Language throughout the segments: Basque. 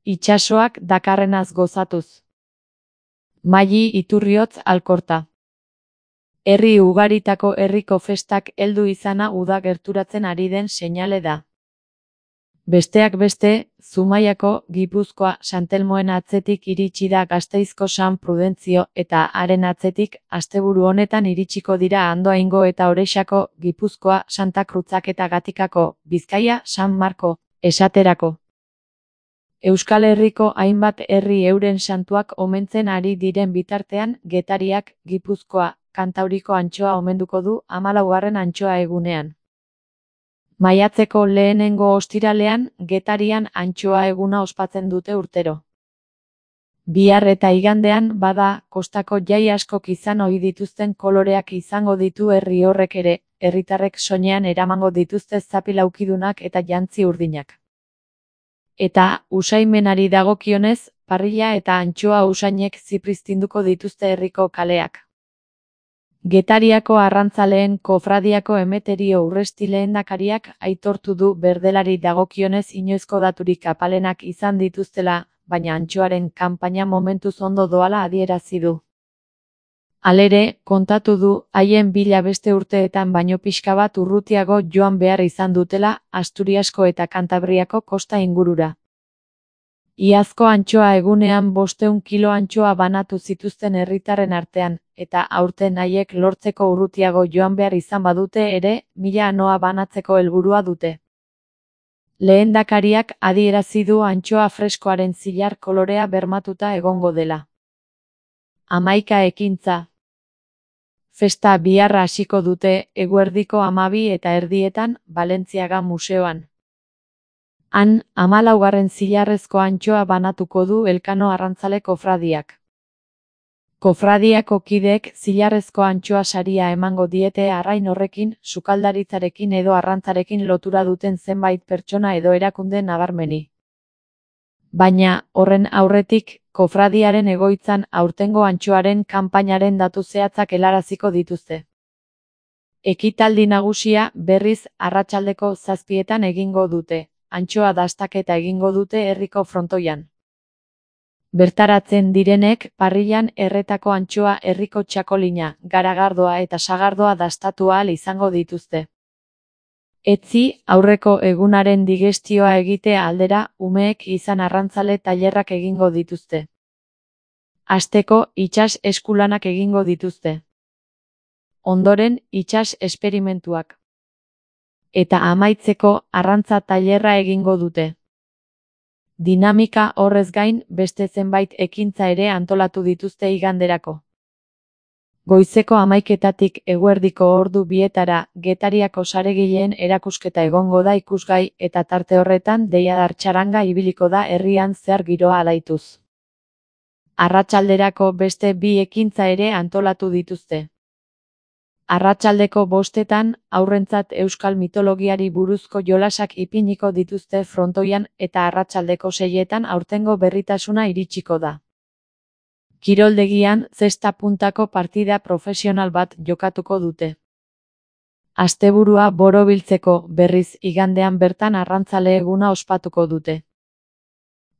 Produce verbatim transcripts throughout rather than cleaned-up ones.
itsasoak dakarrenaz gozatuz. Maili Iturriotz Alkorta. Herri ugaritako herriko festak heldu izana uda gerturatzen ari den seinale da. Besteak beste, Zumaiako, Gipuzkoa, Santelmoen atzetik iritsi da Gasteizko San Prudentzio eta haren atzetik asteburu honetan iritsiko dira Andoaingo eta Orexako, Gipuzkoa, Santa Kruzak eta Gatikako, Bizkaia, San Marko, esaterako. Euskal Herriko hainbat herri euren santuak omentzen ari diren bitartean, Getariak, Gipuzkoa, Kantauriko antxoa omenduko du hamalaugarren antxoa egunean. Maiatzeko lehenengo ostiralean, Getarian antxoa eguna ospatzen dute urtero. Bihar eta igandean, bada, kostako jai askok izan ohi dituzten koloreak izango ditu herri horrek ere, herritarrek soinean eramango dituzte zapi laukidunak eta jantzi urdinak. Eta, usaimenari dagokionez, parrilla eta antxoa usainek zipriztinduko dituzte herriko kaleak. Getariako arrantzaleen kofradiako Emeterio Urresti lehendakariak aitortu du berdelari dagokionez inoizko daturik apalenak izan dituztela, baina antxoaren kanpaina momentuz ondo doala adierazi du. Halere, kontatu du, haien bila beste urteetan baino pixka bat urrutiago joan behar izan dutela, Asturiasko eta Kantabriako kosta ingurura. Iazko antxoa egunean bostehun kilo antxoa banatu zituzten herritarren artean, eta aurten haiek lortzeko urrutiago joan behar izan badute ere, mila anoa banatzeko helburua dute. Lehendakariak adierazi du antxoa freskoaren zilar kolorea bermatuta egongo dela. Hamaika ekintza. Festa biharra hasiko dute, eguerdiko hamabi eta erdietan, Balentziaga museoan. Han, hamalaugarren zilarrezko antxoa banatuko du Elkano arrantzale kofradiak. Kofradiako kideek zilarrezko antxoa saria emango diete arrain horrekin, sukaldaritzarekin edo arrantzarekin lotura duten zenbait pertsona edo erakunde nabarmeni. Baina, horren aurretik, kofradiaren egoitzan aurtengo antxoaren kanpainaren datu zehatzak helaraziko dituzte. Ekitaldi nagusia, berriz, arratsaldeko zazpietan egingo dute. Antxoa dastaketa egingo dute herriko frontoian. Bertaratzen direnek, parrillan erretako antxoa herriko txakolina, garagardoa eta sagardoa dastatu ahal izango dituzte. Etzi, aurreko egunaren digestioa egite aldera, umeek izan arrantzale tailerrak egingo dituzte. Hasteko, itsas eskulanak egingo dituzte. Ondoren, itsas esperimentuak. Eta amaitzeko arrantza tailerra egingo dute. Dinamika horrez gain beste zenbait ekintza ere antolatu dituzte iganderako. Goizeko hamaiketatik eguerdiko ordu bietara Getariako saregileen erakusketa egongo da ikusgai eta tarte horretan deiadar txaranga ibiliko da herrian zehar giroa alaituz. Arratsalderako beste bi ekintza ere antolatu dituzte. Arratsaldeko bostetan, aurrentzat euskal mitologiari buruzko jolasak ipiniko dituzte frontoian eta arratsaldeko seietan aurtengo berritasuna iritsiko da. Kiroldegian, zesta puntako partida profesional bat jokatuko dute. Asteburua borobiltzeko, berriz, igandean bertan arrantzale eguna ospatuko dute.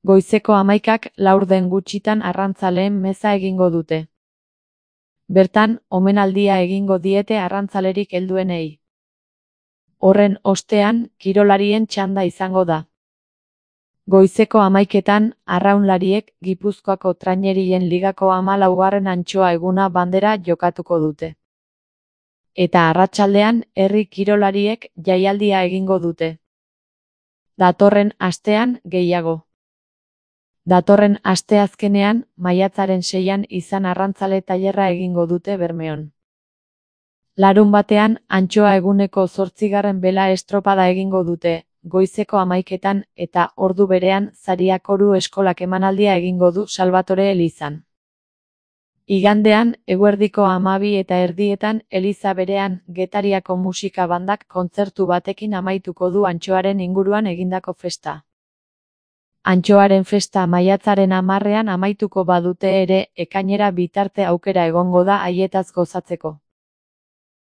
Goizeko hamaikak laurden gutxitan arrantzaleen meza egingo dute. Bertan, omenaldia egingo diete arrantzalerik helduenei. Horren ostean, kirolarien txanda izango da. Goizeko hamaiketan, arraunlariek Gipuzkoako Trainerien Ligako hamalaugarren antxoa eguna bandera jokatuko dute. Eta arratsaldean, herri kirolariek jaialdia egingo dute. Datorren astean, gehiago. Datorren asteazkenean, maiatzaren seian izan arrantzale tailerra egingo dute Bermeon. Larun batean, antxoa eguneko zortzigarren bela estropada egingo dute, goizeko hamaiketan eta ordu berean Zariak Oru Eskolak emanaldia egingo du Salvatore elizan. Igandean, eguerdiko hamabi eta erdietan, eliza berean, Getariako musika bandak kontzertu batekin amaituko du antxoaren inguruan egindako festa. Antxoaren festa maiatzaren hamarrean amaituko badute ere, ekainera bitarte aukera egongo da haietaz gozatzeko.